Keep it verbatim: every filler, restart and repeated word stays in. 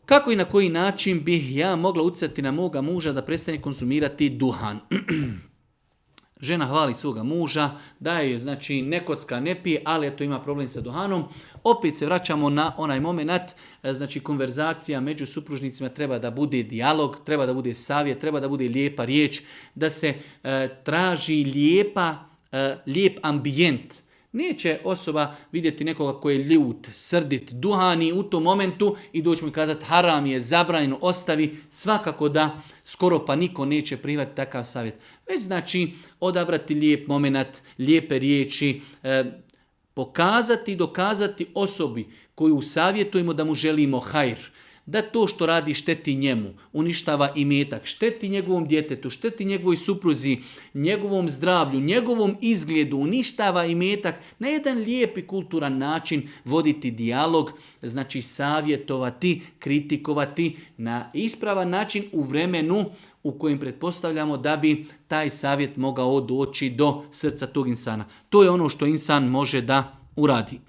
Kako i na koji način bih ja mogla utjecati na moga muža da prestane konzumirati duhan? Žena hvali svoga muža, daje je, znači, ne kocka, ne pije, ali eto ima problem sa duhanom. Opet se vraćamo na onaj moment, znači konverzacija među supružnicima treba da bude dijalog, treba da bude savjet, treba da bude lijepa riječ, da se e, traži lijepa, e, lijep ambijent. Neće osoba vidjeti nekoga koji je ljut, srdit, duhani u tom momentu i doći mu i kazati haram je, zabranjeno, ostavi. Svakako da skoro pa niko neće prihvatiti takav savjet. Već znači odabrati lijep moment, lijepe riječi, eh, pokazati i dokazati osobi koju savjetujemo da mu želimo hajr. Da to što radi šteti njemu, uništava imetak, šteti njegovom djetetu, šteti njegovoj supruzi, njegovom zdravlju, njegovom izgledu, uništava imetak, na jedan lijep i kulturan način voditi dijalog, znači savjetovati, kritikovati na ispravan način u vremenu u kojem pretpostavljamo da bi taj savjet mogao doći do srca tog insana. To je ono što insan može da uradi.